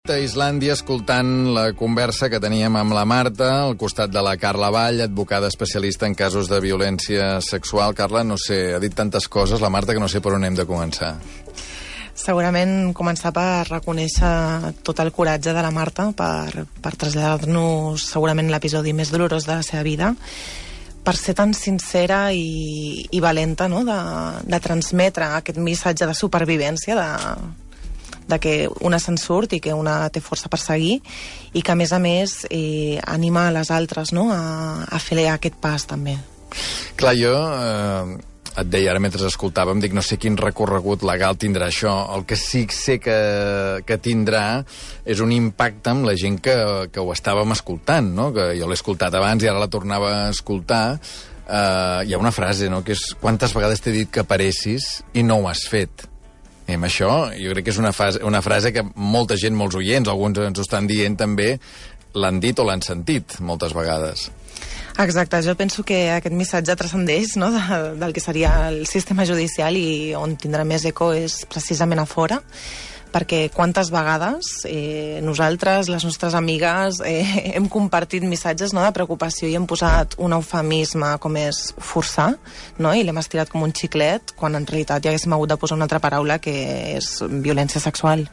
a Islàndia escoltant la conversa que teníem amb la Marta, al costat de la Carla Vall, advocada especialista en casos de violència sexual. Carla, no sé, ha dit tantes coses, la Marta, que no sé per on hem de començar. Segurament començar per reconèixer tot el coratge de la Marta, per traslladar-nos segurament l'episodi més dolorós de la seva vida, per ser tan sincera i valenta, no?, de transmetre aquest missatge de supervivència, de que una se'n surt i que una té força per seguir, i que, a més, anima a les altres, no?, a fer aquest pas, també. Clar, jo et deia ara mentre escoltàvem, dic, no sé quin recorregut legal tindrà això. El que sí que sé que tindrà és un impacte amb la gent que ho estàvem escoltant, no?, que jo l'he escoltat abans i ara la tornava a escoltar. Hi ha una frase, no?, que és: quantes vegades t'he dit que paressis i no ho has fet? I amb això jo crec que és una frase que molta gent, molts oients, alguns ens ho estan dient també, l'han dit o l'han sentit moltes vegades. Exacte, jo penso que aquest missatge transcendeix, no?, del que seria el sistema judicial, i on tindrà més eco és precisament a fora, perquè quantes vegades nosaltres, les nostres amigues, hem compartit missatges, no?, de preocupació i hem posat un eufemisme com és forçar, no?, i l'hem estirat com un xiclet, quan en realitat ja haguéssim hagut de posar una altra paraula, que és violència sexual.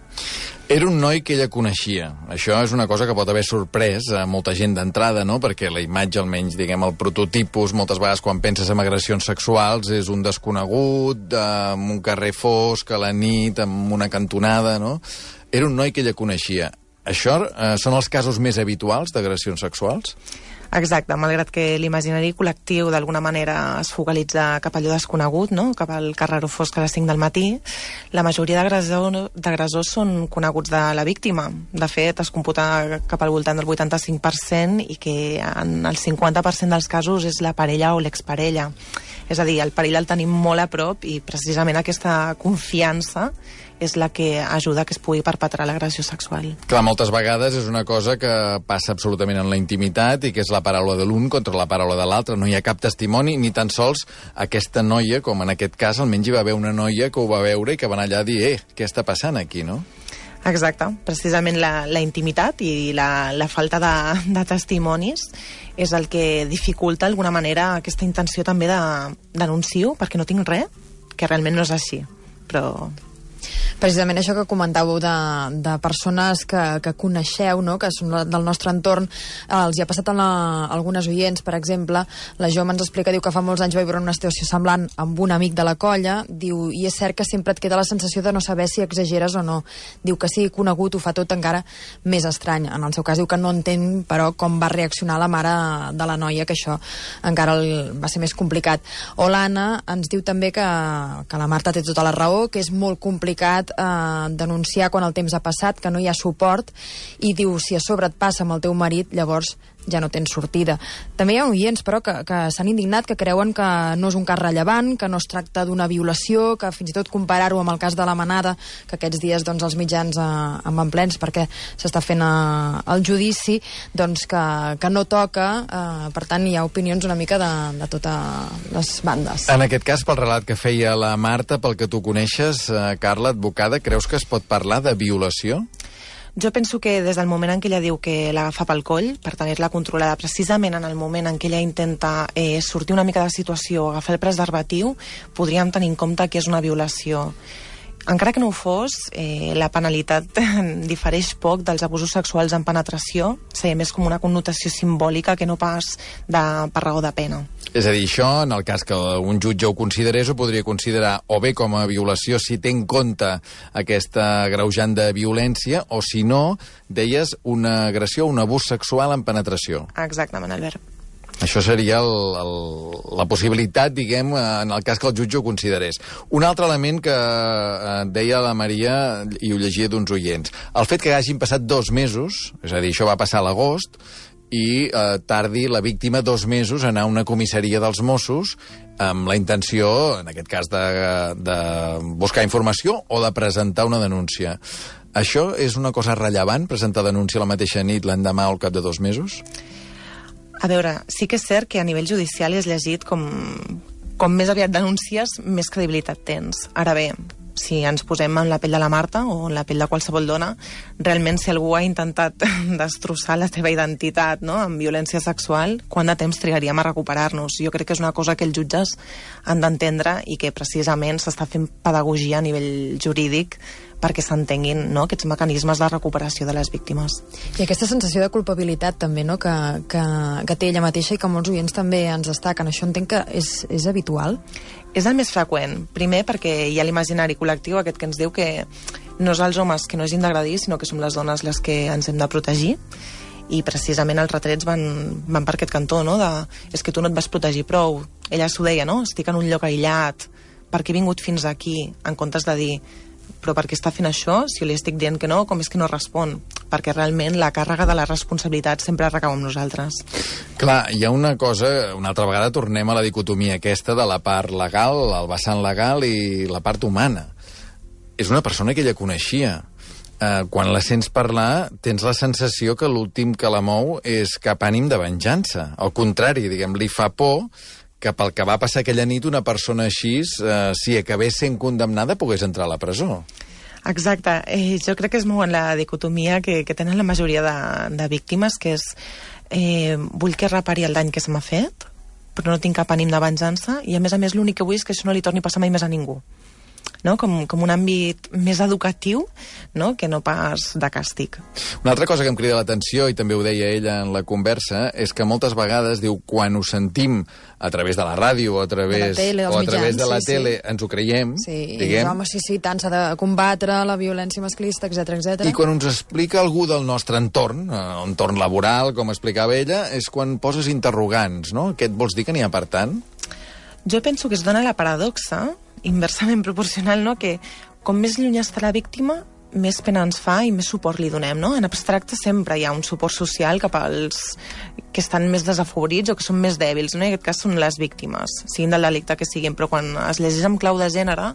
Era un noi que ella coneixia. Això és una cosa que pot haver sorprès a molta gent d'entrada, no?, perquè la imatge, almenys, diguem, el prototipus, moltes vegades quan penses en agressions sexuals, és un desconegut, en un carrer fosc, a la nit, en una cantonada, no? Era un noi que ella coneixia. Això són els casos més habituals d'agressions sexuals? Exacte, malgrat que l'imaginari col·lectiu d'alguna manera es focalitza cap a allò desconegut, no?, cap al carreró fosc a les 5 del matí, la majoria d'agressors són coneguts de la víctima. De fet, es computa cap al voltant del 85%, i que en el 50% dels casos és la parella o l'exparella. És a dir, el perill el tenim molt a prop, i precisament aquesta confiança és la que ajuda que es pugui perpetrar l'agressió sexual. Clar, moltes vegades és una cosa que passa absolutament en la intimitat i que és la paraula de l'un contra la paraula de l'altre. No hi ha cap testimoni, ni tan sols aquesta noia, com en aquest cas, almenys hi va haver una noia que ho va veure i que va anar allà a dir què està passant aquí, no? Exacte. Precisament la intimitat i la falta de testimonis és el que dificulta d'alguna manera aquesta intenció també de denuncio perquè no tinc res, que realment no és així. Però precisament això que comentàveu de persones que coneixeu, no?, que són del nostre entorn, els hi ha passat a algunes oients. Per exemple, la Joma ens explica, diu que fa molts anys va viure una situació semblant amb un amic de la colla, diu, i és cert que sempre et queda la sensació de no saber si exageres o no. Diu que sigui conegut ho fa tot encara més estrany. En el seu cas diu que no entén, però, com va reaccionar la mare de la noia, que això encara va ser més complicat. O l'Anna ens diu també que la Marta té tota la raó, que és molt complicat denunciar quan el temps ha passat, que no hi ha suport, i diu, si a sobre et passa amb el teu marit, llavors ja no tens sortida. També hi ha oients, però, que s'han indignat, que creuen que no és un cas rellevant, que no es tracta d'una violació, que fins i tot comparar-ho amb el cas de la Manada, que aquests dies, doncs, els mitjans en van plens perquè s'està fent el judici, doncs que no toca. Per tant, hi ha opinions una mica de totes les bandes. En aquest cas, pel relat que feia la Marta, pel que tu coneixes, Carla, advocada, creus que es pot parlar de violació? Jo penso que des del moment en què ella diu que l'agafa pel coll, per tenir-la controlada, precisament en el moment en què ella intenta sortir una mica de la situació, agafar el preservatiu, podríem tenir en compte que és una violació. Encara que no ho fos, la penalitat difereix poc dels abusos sexuals en penetració, seria més com una connotació simbòlica que no pas per raó de pena. És a dir, això, en el cas que un jutge ho considerés, ho podria considerar o bé com a violació si té en compte aquesta agreujant de violència, o si no, deies, una agressió, un abús sexual en penetració. Exactament, Albert. Això seria la possibilitat, diguem, en el cas que el jutge ho considerés. Un altre element que deia la Maria, i ho llegia d'uns oients, el fet que hagin passat 2 mesos, és a dir, això va passar a l'agost, i tardi la víctima 2 mesos a anar a una comissaria dels Mossos amb la intenció, en aquest cas, de buscar informació o de presentar una denúncia. Això és una cosa rellevant, presentar denúncia la mateixa nit, l'endemà o al cap de 2 mesos? A veure, sí que és cert que a nivell judicial és llegit com més aviat denúncies, més credibilitat tens. Ara bé, si ens posem en la pell de la Marta o en la pell de qualsevol dona, realment si algú ha intentat destrossar la teva identitat, no?, amb violència sexual, quant de temps trigaríem a recuperar-nos? Jo crec que és una cosa que els jutges han d'entendre i que precisament s'està fent pedagogia a nivell jurídic perquè s'entenguin, no?, aquests mecanismes de recuperació de les víctimes. I aquesta sensació de culpabilitat també, no?, que té ella mateixa i que molts oients també ens destaquen. Això entenc que és habitual? És el més freqüent. Primer perquè hi ha l'imaginari col·lectiu aquest que ens diu que no és els homes que no hagin d'agredir, sinó que som les dones les que ens hem de protegir, i precisament els retrets van per aquest cantó, no?, és que tu no et vas protegir prou. Ella s'ho deia, no?, estic en un lloc aïllat, per què he vingut fins aquí, en comptes de dir però per què està fent això? Si jo li estic dient que no, com és que no respon? Perquè realment la càrrega de la responsabilitat sempre recau amb nosaltres. Clar, hi ha una cosa, una altra vegada tornem a la dicotomia aquesta de la part legal, el vessant legal i la part humana. És una persona que ella coneixia. Quan la sents parlar, tens la sensació que l'últim que la mou és cap ànim de venjança. Al contrari, diguem, li fa por que pel que va passar aquella nit una persona així, si acabés sent condemnada, pogués entrar a la presó. Exacte. Jo crec que és molt la dicotomia que tenen la majoria de víctimes, que és vull que repari el dany que se m'ha fet, però no tinc cap ànim de venjança, i a més l'únic que vull és que això no li torni a passar mai més a ningú. No? Com un àmbit més educatiu, no?, que no pas de càstig. Una altra cosa que em crida l'atenció, i també ho deia ella en la conversa, és que moltes vegades, diu, quan ho sentim a través de la ràdio o a través de la tele, ens ho creiem, diguem. Home, sí, tant, s'ha de combatre la violència masclista, etc. I quan ens explica algú del nostre entorn, entorn laboral, com explicava ella, és quan poses interrogants, no? Què et vols dir que n'hi ha per tant? Jo penso que es dona la paradoxa inversament proporcional, no?, que com més lluny està la víctima, més pena ens fa i més suport li donem, no? En abstracte sempre hi ha un suport social cap als que estan més desafavorits o que són més dèbils, no? En aquest cas són les víctimes, siguin del delicte que siguin, però quan es llegeix amb clau de gènere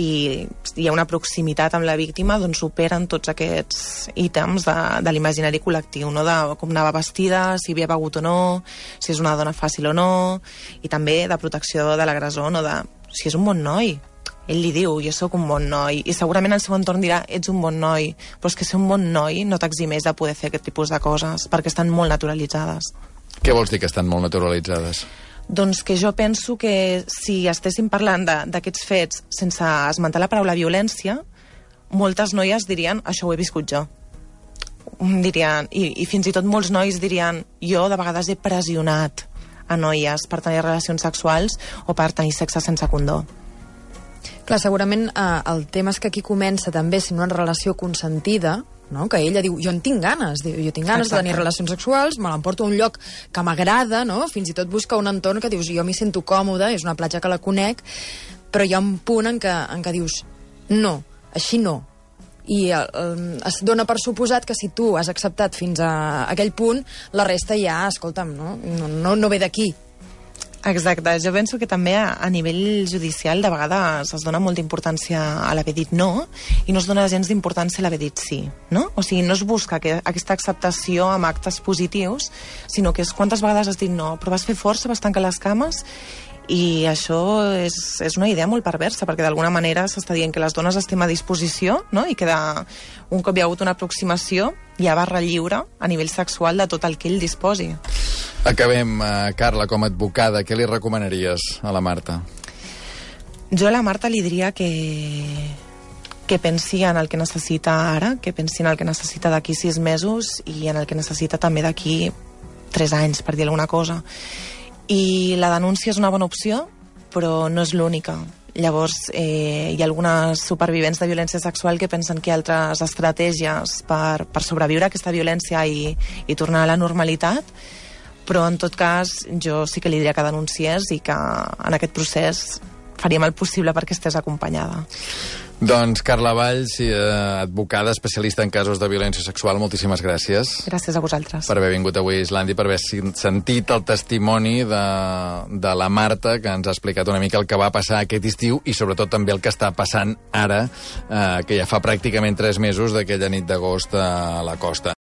i hi ha una proximitat amb la víctima, doncs superen tots aquests ítems de l'imaginari col·lectiu, no?, de com anava vestida, si havia begut o no, si és una dona fàcil o no, i també de protecció de l'agressor, no?, de si és un bon noi. Ell li diu, jo sóc un bon noi, i segurament el seu entorn dirà, ets un bon noi, però és que ser un bon noi no t'eximeix de poder fer aquest tipus de coses, perquè estan molt naturalitzades. Què vols dir que estan molt naturalitzades? Doncs que jo penso que si estéssim parlant d'aquests fets sense esmentar la paraula violència, moltes noies dirien, això ho he viscut jo. Dirien, i fins i tot molts nois dirien, jo de vegades he pressionat a noies per tenir relacions sexuals o per tenir sexe sense condó. Clar, segurament el tema és que aquí comença també sent una relació consentida, no?, que ella diu, jo en tinc ganes, jo tinc ganes de tenir relacions sexuals, me l'emporto a un lloc que m'agrada, no?, fins i tot busca un entorn que dius, jo m'hi sento còmode, és una platja que la conec, però hi ha un punt en què dius, no, així no. I es dona per suposat que si tu has acceptat fins a aquell punt, la resta ja, escolta'm, no ve d'aquí. Exacte, jo penso que també a nivell judicial de vegades es dona molta importància a l'haver dit no i no es dona gens d'importància a l'haver dit sí, no? O sigui, no es busca aquesta acceptació amb actes positius, sinó que és quantes vegades has dit no, però vas fer força, vas tancar les cames, i això és una idea molt perversa, perquè d'alguna manera s'està dient que les dones estem a disposició, no?, i que un cop hi ha hagut una aproximació hi ha barra lliure a nivell sexual de tot el que ell disposi. Acabem, Carla, com a advocada, què li recomanaries a la Marta? Jo a la Marta li diria que pensi en el que necessita ara, que pensi en el que necessita d'aquí 6 mesos i en el que necessita també d'aquí 3 anys, per dir alguna cosa. I la denúncia és una bona opció, però no és l'única. Llavors, hi ha algunes supervivents de violència sexual que pensen que hi ha altres estratègies per sobreviure a aquesta violència i tornar a la normalitat, però en tot cas jo sí que li diria que denunciés i que en aquest procés faríem el possible perquè estés acompanyada. Doncs Carla Valls, advocada especialista en casos de violència sexual, moltíssimes gràcies. Gràcies a vosaltres. Per haver vingut avui a Islàndia, per haver sentit el testimoni de la Marta, que ens ha explicat una mica el que va passar aquest estiu i sobretot també el que està passant ara, que ja fa pràcticament 3 mesos d'aquella nit d'agost a la costa.